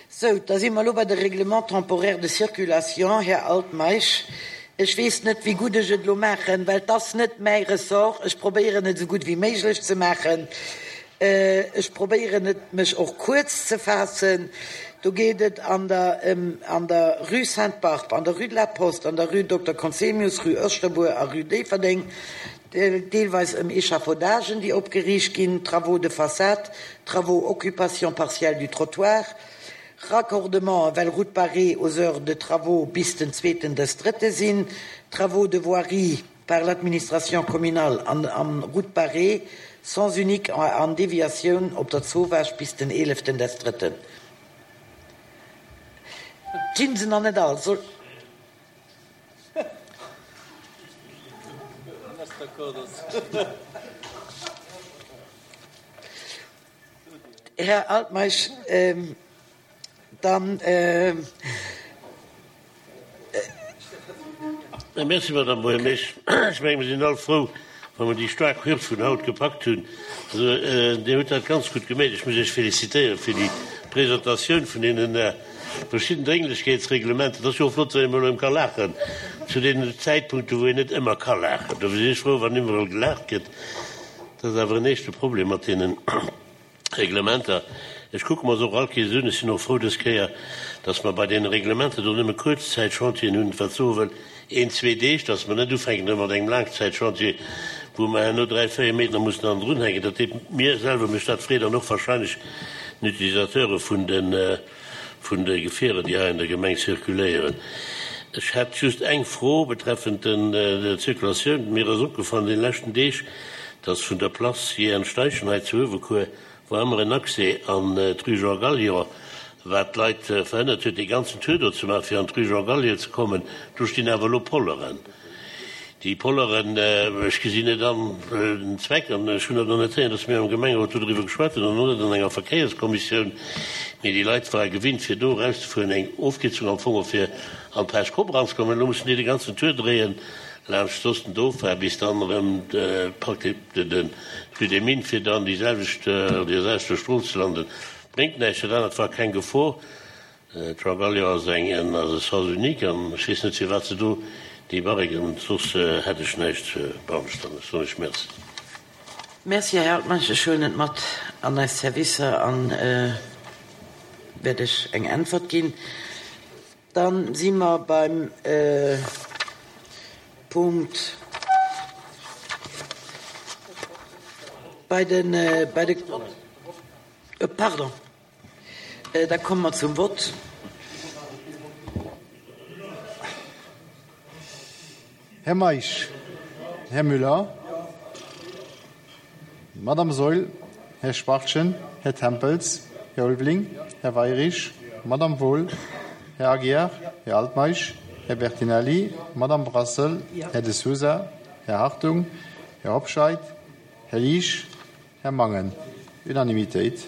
Sou, da si mer elo bei de Règlement temporaire de circulation. Här Altmeisch, ech weess net, wéi gutt ech et elo maachen, well et ass net mäi Ressort. Ech probéieren et esou gutt wéi méiglech ze maachen. Ech probéieren et, mech och kuerz ze faassen. Do geet et an der ëm an der Rue Sainte-Barbe, an der Rue de la Poste, an der Rue Dokter Conzemius, Rue Oeschterbuer a Rue Déifferdeng deelweis ëm Échafaudagen, déi opgeriicht ginn, Travaux de façade, travaux occupation partielle du trottoir, Raccordementen, well Route barrée aux heures de travaux bis den zweeten des drëtte sinn, Travaux de voirie par l'administration communale an an Route barrée, sens unique an Deviatioun op der Zowaasch bis den eeleften des drëtten. Ginn se nach net all? Soll. Här Altmeisch, dann. Merci, Madame Buergermeesch. Ech menge mir sinn all frou, wa mer déi staark Hürd vun haut gepackt hunn. Also, Dir hutt dat ganz gutt gemeet. Ech muss Iech félicitéiere fir déi Presentatioun vun deenen verschidden Drénglechkeetsreglementer. Et ass jo och flott, wann een emol erëm ka laachen zu deenen Zäitpunkten, wou een net ëmmer ka laachen. Dofir sinn ech frou, wann iwwerall gelaacht gëtt. Dat ass awer en éischte Problem mat deenen Reglementer. Ech kucke mer se och all Kees un. Ech sinn och frou dës Kéier, dass mer bei deene Reglementer do nëmme Kuerzzäitchantieren hunn, wat soe wëll, een, zwee Deeg, dass mer net ufänken erëm mat engem Laangzäitchantier, wou mer herno dräi, véier Méint nach mussen hannendrun hänken. Dat deet mir selwer mécht dat Freed an och wahrscheinlech den Utilisateure vun de vun de Gefierer, déi hei an der Gemeng zirkuléieren. Ech hätt just eng Fro betreffend der Zirkulatioun. Mir ass opgefall an deene leschten Deeg, dass vun der Place JN. Steichen hei zu Uewerkuer war ëmmer en Accès an d'Rue Jean Gallion, wat d'Leit verhënnert huet, dee ganzen Tour do ze maachen, fir an d'Rue Jean Gallion ze kommen. Do stinn awer elo Polleren. Déi Polleren, ech gesinn net an den Zweck, an ech hunn dat och net héieren, dass mir am Gemengerot do driwwer geschwat hunn an och net an enger Verkéierskommissioun, mee déi Leit ware gewinnt, fir do erauszefueren, eng Ofkierzung am Fong och fir an d'Plage Kopp eranzekommen. Elo mussen déi de ganzen Tour dréien laanscht soss den Dauphin bis dann erëm praktesch de Rue des Mines, fir dann déi selwecht, an deer selwechter Strooss ze landen. Bréngt näischt, dat anert war keng Gefor. D'Raballio ass eng ass e Sens unique an ech weess net firwat se do déi Barriquen, soss hätt ech näischt beanstanden. Ech soen lech Merci. Merci, Här Altmeisch. Ech huelen et mat an eis Servicer an wäert Iech eng Äntwert ginn. Da si mer beim Punkt bei de, bei de, pardon. Da komme mer zum Vott. Här Meisch, Här Müller, Madame Saeul, Här Schwachtgen, Här Tempels, Här Ulveling, Här Weirich, Madame Wohl, Här Aguiar, Här Altmeisch, Här Bertinelli, Madame Brassel, Här De Sousa, Här Hartung, Här Hobscheit, Här Liesch, Här Mangen. Unanimitéit.